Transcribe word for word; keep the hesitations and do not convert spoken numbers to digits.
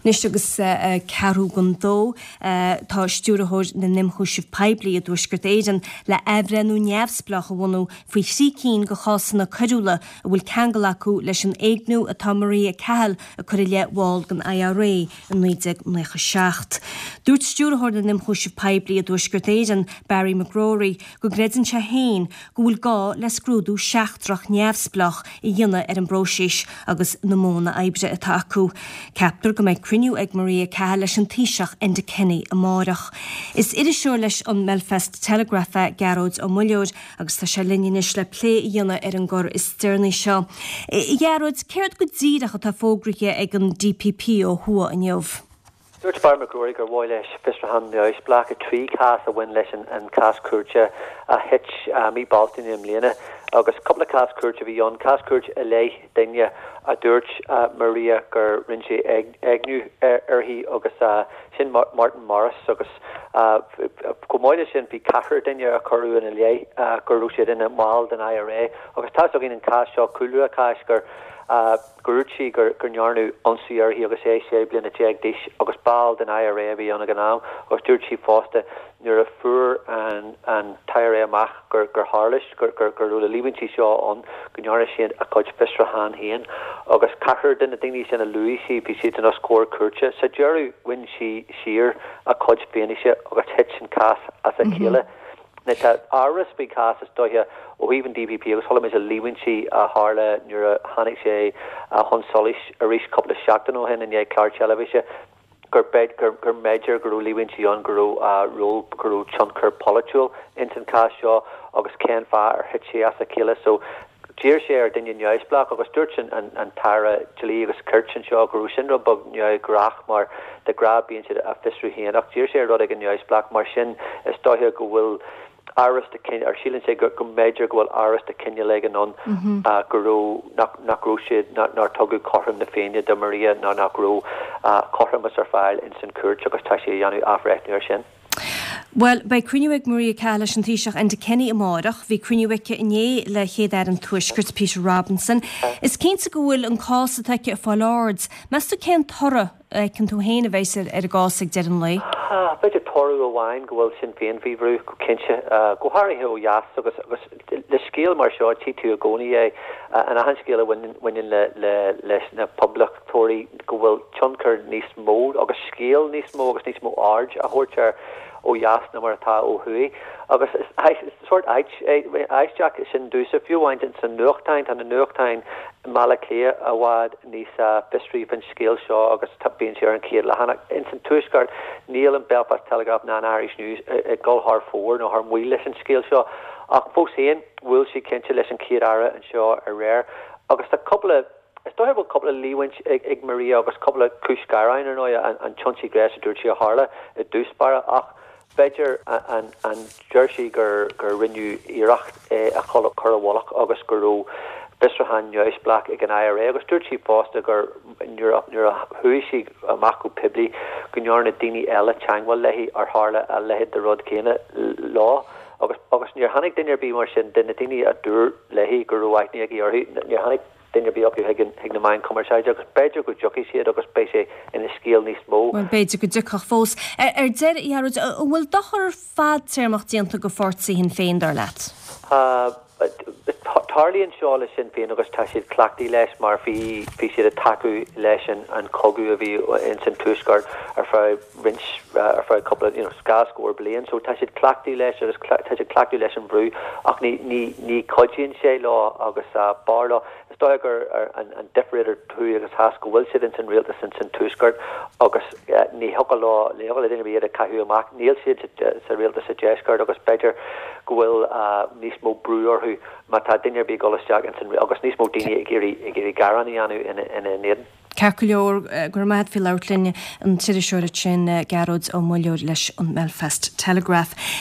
Anois agus ceathrú don dó tá stiúrthóir na n-ionchúiseamh poiblí i dTuaisceart Éireann le athbhreithniú neamhspleách a bhunú faoi thrí cinn de chásanna coiriúla a bhfuil ceangal acu leis an éigniú atá Maria Cahill a cur i leith bhall den IRA i naoi déag nócha seacht. Dúirt stiúrthóir na n-ionchúiseamh poiblí i dTuaisceart Éireann, Barry McGrory, go gcreideann sé féin go bhfuil gá le scrúdú seachtrach neamhspleách a dhéanamh ar an bpróiseas agus na modhanna oibre atá acu. Ceaptar go mbeidh cruinniú ag Maria Cahill leis an Taoiseach Enda Kenny amárach. Is iriseoir leis an mBelfast Telegraph é Gearóid Ó Muilleoir agus tá sé linn anois le plé a dhéanamh ar an gcor is deireanaí seo. A Ghearóid, céard go díreach atá fógraithe ag an DPP ó thuaidh inniu? Dúirt Barry McGrory gur mhaith leis fiosrúchán neamhspleách i trí chás a bhain leis an cás cúirte a thit mí Bealtaine i mbliana agus cúpla cás cúirte a bhí ann cás cúirte i leith duine a dúirt Maria gur rinne sé éigniú uirthi agus sin Martin Morris agus chomh maith leis sin bhí ceathrar duine a cuireadh ina leith go raibh siad ina mball den IRA agus tá againn an cás seo cúlra an cháis gur gur dúirt sí gur gur ndearnadh ionsaí uirthi agus é sé bliana déag d'aois agus ball den IRA a bhí ann ag an am agus dúirt sí fosta nuair a fuair an an t-IRA amach gur gur tharla gur gur gur raibh na líomhaintí seo ann go ndearna siad a gcuid fiosrúchán féin agus ceathrar de na daoine sin a luaigh sí bhí siad in os comhair cúirte sa deireadh bhain sí siar a cuid fianaise agus thit an cás as a chéile. Tá amhras faoin chás is dóiche ó thaobh an DPP agus chuala muid na líomhaintí a tharla nuair a tháinig sé chun solais arís cúpla seachtain ó shin i ndiaidh clár teilifíse gur gur gur mb'fhéidir go raibh líomhaintí ann go raibh ról go raibh tionchar polaitiúil ins an chás seo agus cén fáth ar thit sé as a chéile so D'iarr sé ar duine neamhspleách agus dúirt an an tAire Dlí agus Cirt anseo go raibh sin rud beag neamhghnách mar de ghnáth bíonn siad á fiosrú féin ach d'iarr sé ar rud éigin neamhspleách mar sin is dóiche go bhfuil amhras de ar síleann sé go mb'fhéidir go bhfuil amhras de chineál éigin ann go raibh nach nach raibh siad nár tugadh cothrom na Féinne do Maria ná nach raibh cothromas ar fáil ins an chúirt agus tá sé ag déanamh athbhreithniú ar sin. Well, beidh cruinniú ag Maria Cahill leis an Taoiseach Enda Kenny amárach, bhí cruinniú aici inné le chéad-aire an Tuaiscirt Peter Robinson. Is cinnte go bhfuil an cás atá aici ag fáil aird. Meas tú cén toradh a fheiceann tú féin a bheas ar an gcás ag deireadh an lae? B'fhéidir toradh amháin go bhfuil Sinn Féin faoi bhrú go cinnte go háirithe ó dheas agus agus le scéal mar seo tí tú i gcónaí é an achan scéal a bhaineann le le leis na poblachtóirí go bhfuil tionchar níos mó agus scéal níos mó agus níos mó aird a thabhairt air ó dheas ná mar atá ó thuaidh agus sórt aisteach sin domsa fiú amháin san nuachtáin tá na nuachtáin i mBaile Átha Cliath i bhfad níos fiosraí faoin scéal seo agus bíonn sé ar an chéad leathanach. Ins an Tuaisceart níl an Belfast Telegraph ná an Irish News ag dul thar fóir nó thar maoil leis an scéal seo ach fós féin bhuail sí cinnte leis an chéad aire anseo aréir agus tá cúpla Is dóiche bhfuil cúpla líomhaint ag ag Maria agus cúpla cúis ghearáin ar ndóigh an t-ionsaí gnéis a dúirt sí a tharla i dtús báire ach b'fhéidir an an deir sí gur gur rinneadh iarracht é a chur i bhfolach agus go raibh fiosrúchán neamhspleách ag an IRA agus dúirt sí fosta gur nuair nuair a chuaigh sí amach go poiblí go ndearna daoine eile teagmháil léi ar tharla a leithéid de rud céanna leo agus agus níor tháinig duine ar bith mar sin de na daoine a dúirt léi go raibh aithne aici orthu níor tháinig duine ar bith acu chuig chuig na meáin chumarsáide agus b'fhéidir go dtiocfaidh siad agus beidh sé ina scéal níos mó. Well b'fhéidir go dtiocfadh fós. Ar deireadh a Ghearóid, an bhfuil dochar fadtéarmach déanta do pháirtí Shinn Féin dar leat? Tarlaíonn seo le Sinn Féin agus tá siad cleachtaithe leis mar bhí bhí siad ag tacú leis an an cogadh a bhí ins an tuaisceart ar feadh roinnt ar feadh cúpla you know, dhá scór bliain, so tá siad cleachtaithe leis agus tá siad cleachtaithe leis an bhrú ach ní ní ní chuidíonn sé leo agus uh, b'fhearr leo Is dóigh gur an, an difear idir thuaidh agus theas go bhfuil siad ins an rialtas ins an tuaisceart agus uh, ní thiocfadh leo ní thiocfadh le duine iad a chaitheamh amach níl siad sa rialtas sa deisceart agus b'fhéidir go bhfuil uh, níos mó brú orthu má tá duine ar bith ag dul isteach ins an agus níos mó daoine ag iarraidh ag iarraidh gearán a dhéanamh ina ina n-éadan. Ceart go leor go raibh maith agat faoi labhairt linn an t-iriseoir sin Gearóid Ó Muilleoir leis an Belfast Telegraph.